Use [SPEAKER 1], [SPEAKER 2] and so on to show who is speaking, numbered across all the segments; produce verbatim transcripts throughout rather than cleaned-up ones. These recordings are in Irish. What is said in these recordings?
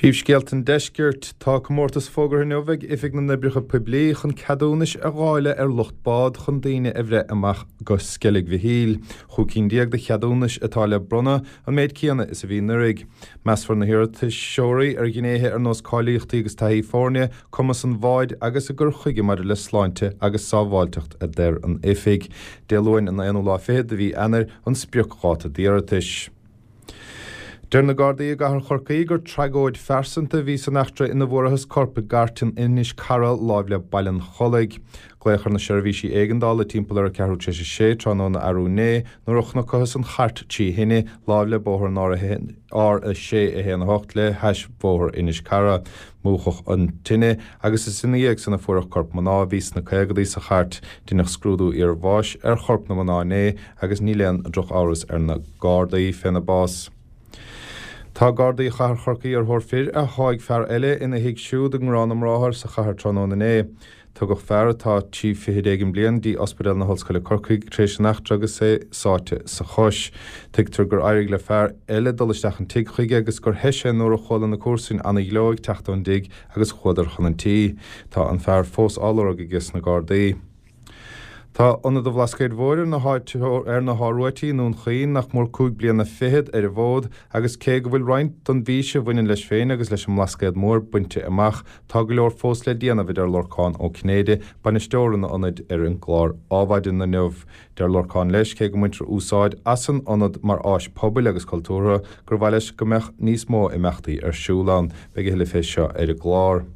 [SPEAKER 1] Príomhscéalta an Deiscirt. Tá comórtas fógartha inniu ag Oifig na nOibreacha Poiblí chun ceadúnais a dháileadh ar lucht bád chun daoine a bhreith amach go Sceilg Mhichíl. Chúig cinn déag de cheadúnais atá le bronnadh, an méid céanna is a bhí anuraidh. Measfar na hiarratasóirí ar ghnéithe ar nós cáilíochtaí agus taithí foirne, cumas an bháid agus a gcur chuige maidir le sláinte agus sábháilteacht, a deir an Oifig. Dé Luain an aonú lá fichead de mhí Eanáir an spriocdháta d'iarratais. Deir na Gardaí i gcathair Chorcaí gur tragóid phearsanta a bhí san eachtra ina bhfuarathas corp i gcairt in Inis Cara láimh le Baile an Chollaigh. Glaodh ar na seirbhísí éigeandála timpeall ar a ceathrú tar éis a sé tráthnóna arú inné nuair a chonacthas an chairt trí thine láimh le bóthar an R a sé a haon a hocht le hais Bhóthar Inis Cara. Múchadh an tine agus is ina dhiaidh san a fuaireadh corp mná a bhí sna caogadaí sa chairt. Deineadh scrúdú iarbháis ar chorp na mná inné agus níl aon drochamhras ar na Gardaí féna bás. Tá Gardaí Chathair Chorcaí ar thóir fir a sháigh fear eile ina thigh siúd i nGarrán na mBráthar sa chathair tráthnóna inné. Tugadh fear atá trí fichid éigin bliain dtí Ospidéal na hOllscoile Corcaigh tar éis an eachtra agus é sáite sa chois. Tuigtear gur éirigh le fear eile dul isteach an tigh chuige agus gur theith sé nuair a chuala na comharsain ana-ghleo ag teacht ón dtigh agus chuadar chun an tí. Tá an fear fós á lorg aige na Gardaí. Tá Ionad an Bhlascaoid Mhóir ar na ar na hÁruaití i nDún Chaoin nach mór cúig bliana fichead ar an bhfód agus cé go bhfuil roinnt don bhfís a bhaineann leis féin agus leis an mBlascaod Mór bainte amach, tá go leor fós le déanamh a deir Lorcán Ó Cinnéide, bainisteoir an ionaid ar an gclár Adhmhaidin inniu. Deir Lorcán leis cé go mbaintear úsáid as an ionad mar áis pobail agus cultúrtha gur mhaith leis go mbeadh níos mó imeachtaí ar siúl ann. Beidh a thuilleadh fé seo ar an gclár.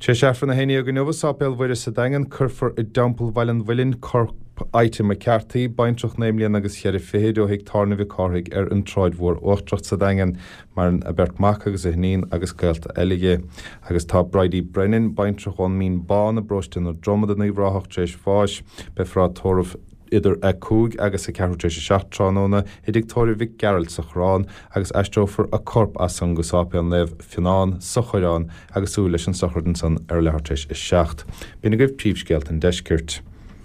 [SPEAKER 1] Tar éis Aifreann a haon déag inniu i Sáipéal Mhuire sa Daingean cuirfear i dTeampall Bhaile an Mhuilinn corp Ite McCarthy, baintreach naoi mbliana agus cheithre fichid ó thigh tábhairne Mhic Cárthaigh ar an tSráid Mhór Uachtarach sa Daingean. Maireann a beirt mac agus a hiníon agus gaolta eile di. Agus tá Bridie Brennan, baintreach ón Mín Bán i bparóiste na Dromad in Uíbh Ráthach tar éis bháis. Beifear á tórramh idir a cúig agus a ceathrú tar éis a seacht tráthnóna i dtigh tórraimh Mhic Gearailt sa Choireán agus aistreofar a corp as san go Sáipéal Naomh Fionnán sa Choireán agus súil leis an sochraid ansan ar a leathuair tar éis a seacht. B'in agaibh príomhscéalta an deiscirt.